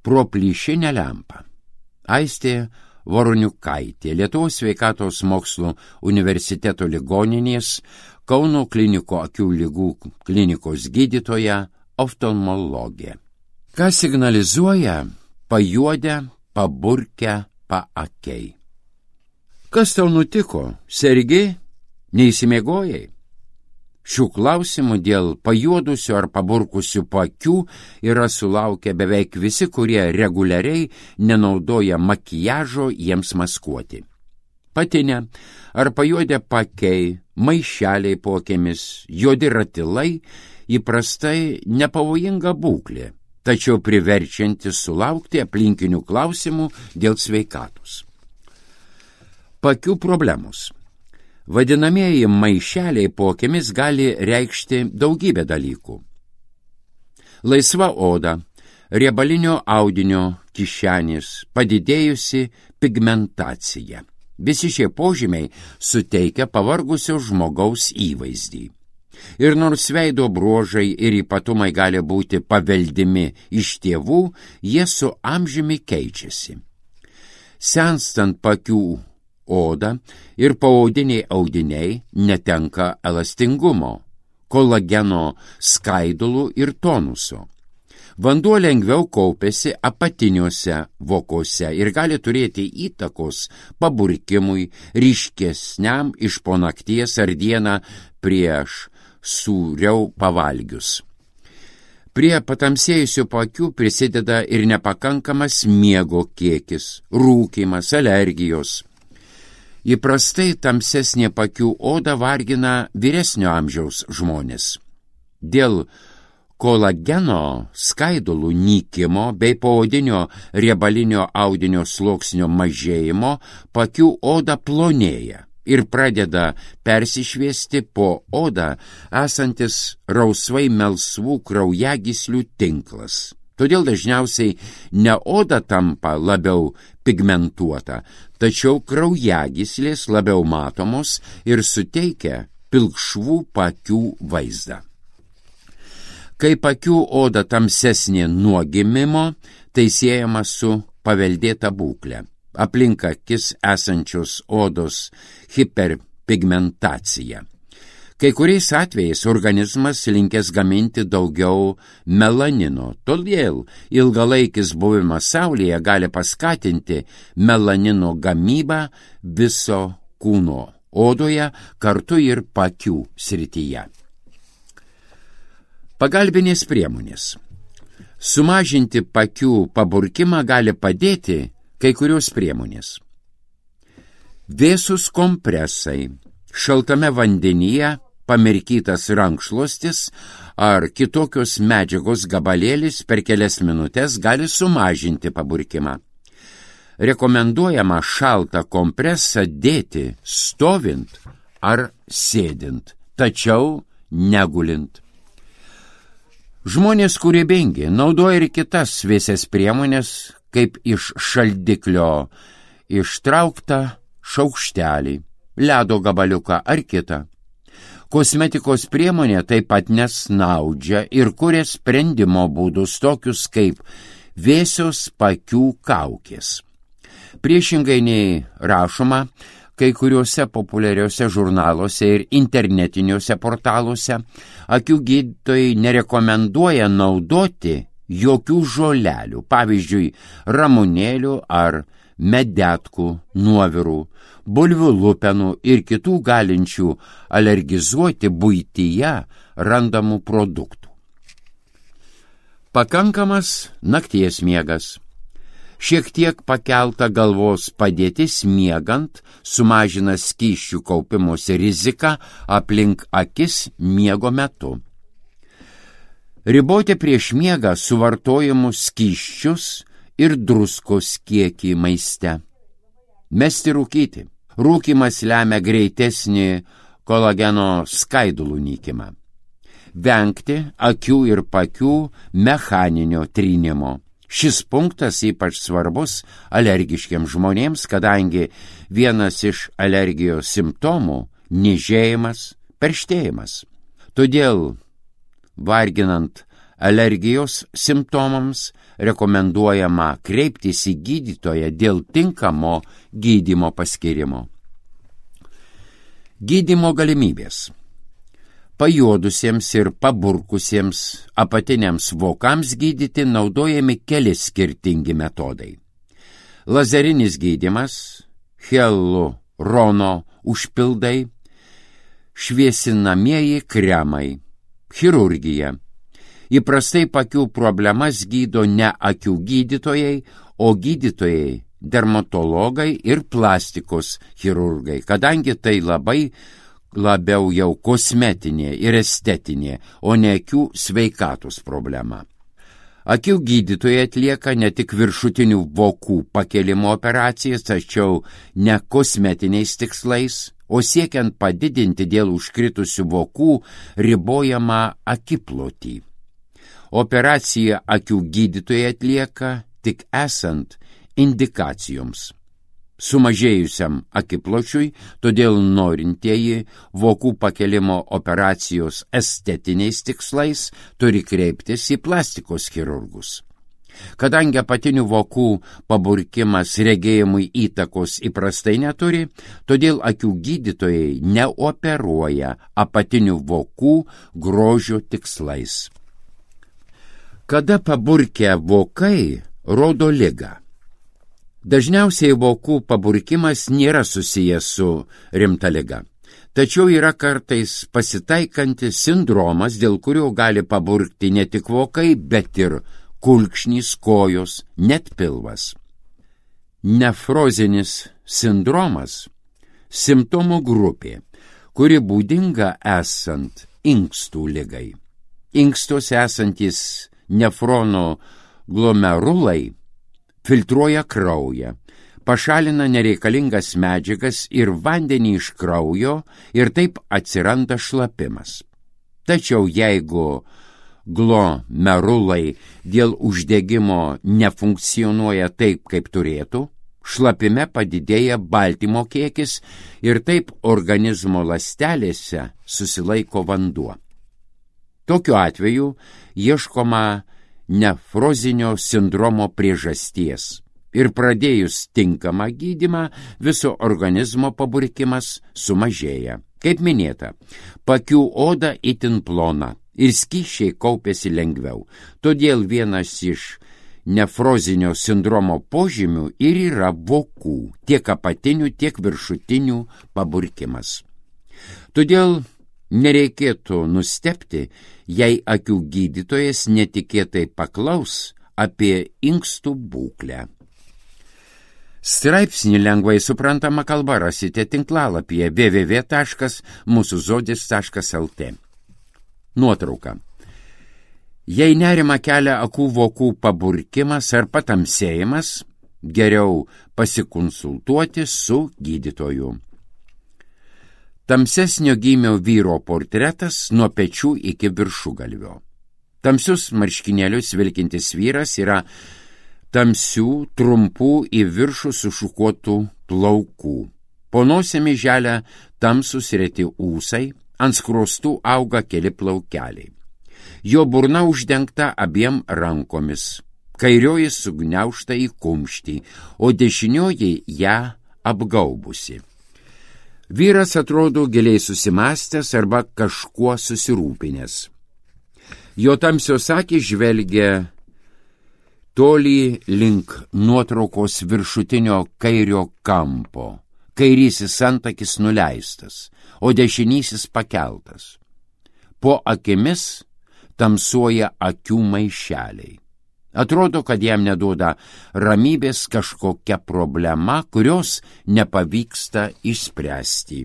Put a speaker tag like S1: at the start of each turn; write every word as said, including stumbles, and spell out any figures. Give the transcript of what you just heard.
S1: pro plyšinę lempą. Aistė Voroniukaitė, Lietuvos sveikatos mokslų universiteto ligoninės Kauno kliniko akių ligų klinikos gydytoja, oftalmologė. Ką signalizuoja pajuodę, paburkę, paakiai? Kas tau nutiko? Sergi? Neįsimiegojai? Šių klausimų dėl pajuodusių ar paburkusių paakių yra sulaukę beveik visi, kurie reguliariai nenaudoja makiažo jiems maskuoti. Patinę ar pajuodę paakiai, maišeliai po akimis, juodi ratilai įprastai nepavojinga būklė, tačiau priverčianti sulaukti aplinkinių klausimų dėl sveikatos. Paakių problemos. Vadinamieji maišeliai po akimis gali reikšti daugybę dalykų. Laisva oda, riebalinio audinio kišenės, padidėjusi pigmentacija. Visi šie požymiai suteikia pavargusio žmogaus įvaizdį. Ir nors veido bruožai ir ypatumai gali būti paveldimi iš tėvų, jie su amžiumi keičiasi. Senstant paakių oda ir paaudiniai audiniai netenka elastingumo, kolageno skaidulų ir tonuso. Vanduo lengviau kaupiasi apatiniuose vokuose ir gali turėti įtakos paburkimui, ryškesniam iš po nakties ar dieną prieš sūriau pavalgius. Prie patamsėjusių paakių prisideda ir nepakankamas miego kiekis, rūkymas, alergijos. Įprastai tamsesnė paakių oda vargina vyresnio amžiaus žmonės. Dėl kolageno skaidulų nykimo bei poodinio riebalinio audinio sluoksnio mažėjimo paakių oda plonėja ir pradeda persišviesti po odą esantis rausvai melsvų kraujagyslių tinklas. Todėl dažniausiai ne oda tampa labiau pigmentuota, tačiau kraujagyslės labiau matomos ir suteikia pilkšvų paakių vaizdą. Kai paakių oda tamsesnė nuo gimimo, tai siejama su paveldėta būklė, aplink akis esančios odos hiperpigmentacija. Kai kuriais atvejais organizmas linkęs gaminti daugiau melanino, todėl ilgalaikis buvimas saulėje gali paskatinti melanino gamybą viso kūno odoje, kartu ir paakių srityje. Pagalbinės priemonės. Sumažinti paakių paburkimą gali padėti kai kurios priemonės. Vėsus kompresai, šaltame vandenyje pamirkytas rankšluostis ar kitokios medžiagos gabalėlis per kelias minutės gali sumažinti paburkimą. Rekomenduojama šaltą kompresą dėti stovint ar sėdint, tačiau negulint. Žmonės kūrybingi naudoja ir kitas vėsias priemonės, kaip iš šaldiklio ištrauktą šaukštelį, ledo gabaliuką ar kitą. Kosmetikos priemonė taip pat nesnaudžia ir kuria sprendimo būdus tokius kaip vėsios paakių kaukės. Priešingai nei rašoma, kai kuriuose populiariuose žurnaluose ir internetiniuose portaluose akių gydytojai nerekomenduoja naudoti jokių žolelių, pavyzdžiui, ramunėlių ar medetkų, nuovirų, bulvių lupenų ir kitų galinčių alergizuoti buityje randamų produktų. Pakankamas nakties miegas. Šiek tiek pakelta galvos padėtis miegant sumažina skysčių kaupimosi riziką aplink akis miego metu. Riboti prieš miegą suvartojamus skysčius ir druskos kiekį maiste. Mesti rūkyti. Rūkymas lemia greitesnį kolageno skaidulų nykimą. Vengti akių ir paakių mechaninio trynimo. Šis punktas ypač svarbus alergiškiams žmonėms, kadangi vienas iš alergijos simptomų – niežėjimas, perštėjimas. Todėl, varginant alergijos simptomams rekomenduojama kreiptis į gydytoją dėl tinkamo gydymo paskyrimo. Gydymo galimybės. Pajuodusiems ir paburkusiems apatiniams vokams gydyti naudojami keli skirtingi metodai. Lazerinis gydymas, hialurono užpildai, šviesinamieji kremai, chirurgija. Įprastai pakių problemas gydo ne akių gydytojai, o gydytojai, dermatologai ir plastikos chirurgai, kadangi tai labai labiau jau kosmetinė ir estetinė, o ne akių sveikatos problema. Akių gydytojai atlieka ne tik viršutinių vokų pakėlimo operacijas, tačiau ne kosmetiniais tikslais, o siekiant padidinti dėl užkritusių vokų ribojamą akiplotį. Operaciją akių gydytojai atlieka tik esant indikacijoms. Sumažėjusiam akipločiui, todėl norintieji vokų pakėlimo operacijos estetiniais tikslais turi kreiptis į plastikos chirurgus. Kadangi apatinių vokų paburkimas regėjimui įtakos įprastai neturi, todėl akių gydytojai neoperuoja apatinių vokų grožio tikslais. Kada paburkę vokai rodo ligą? Dažniausiai vokų paburkimas nėra susijęs su rimta liga. Tačiau yra kartais pasitaikantis sindromas, dėl kurio gali paburkti ne tik vokai, bet ir kulkšnys, kojos, net pilvas. Nefrozinis sindromas – simptomų grupė, kuri būdinga esant inkstų ligai. Inkstuose esantis nefrono glomerulai filtruoja kraują, pašalina nereikalingas medžiagas ir vandenį iš kraujo ir taip atsiranda šlapimas. Tačiau jeigu glomerulai dėl uždegimo nefunkcionuoja taip, kaip turėtų, šlapime padidėja baltymo kiekis ir taip organizmo ląstelėse susilaiko vanduo. Tokiu atveju ieškoma nefrozinio sindromo priežasties ir pradėjus tinkamą gydymą viso organizmo paburkimas sumažėja. Kaip minėta, pakių oda itin plona ir skysčiai kaupiasi lengviau, todėl vienas iš nefrozinio sindromo požymių ir yra vokų, tiek apatinių, tiek viršutinių paburkimas. Todėl nereikėtų nustebti, jei akių gydytojas netikėtai paklaus apie inkstų būklę. Straipsnį lengvai suprantama kalba rasite tinklalapyje w w w taškas mūsų žodis taškas l t. Nuotrauka. Jei nerima kelia akų vokų paburkimas ar patamsėjimas, geriau pasikonsultuoti su gydytoju. Tamsesnio gymio vyro portretas nuo pečių iki viršugalvio. Tamsius marškinėlius vilkintis vyras yra tamsių, trumpų į viršų sušukuotų plaukų. Po nosimi želia tamsus reti ūsai, ant skruostų auga keli plaukeliai. Jo burna uždengta abiem rankomis, kairioji sugniaužta į kumštį, o dešinioji ją apgaubusi. Vyras atrodo giliai susimąstęs arba kažkuo susirūpinęs. Jo tamsios akys žvelgia tolį link nuotraukos viršutinio kairio kampo. Kairysis antakis nuleistas, o dešinysis pakeltas. Po akimis tamsuoja akių maišeliai. Atrodo, kad jam neduoda ramybės kažkokia problema, kurios nepavyksta išspręsti.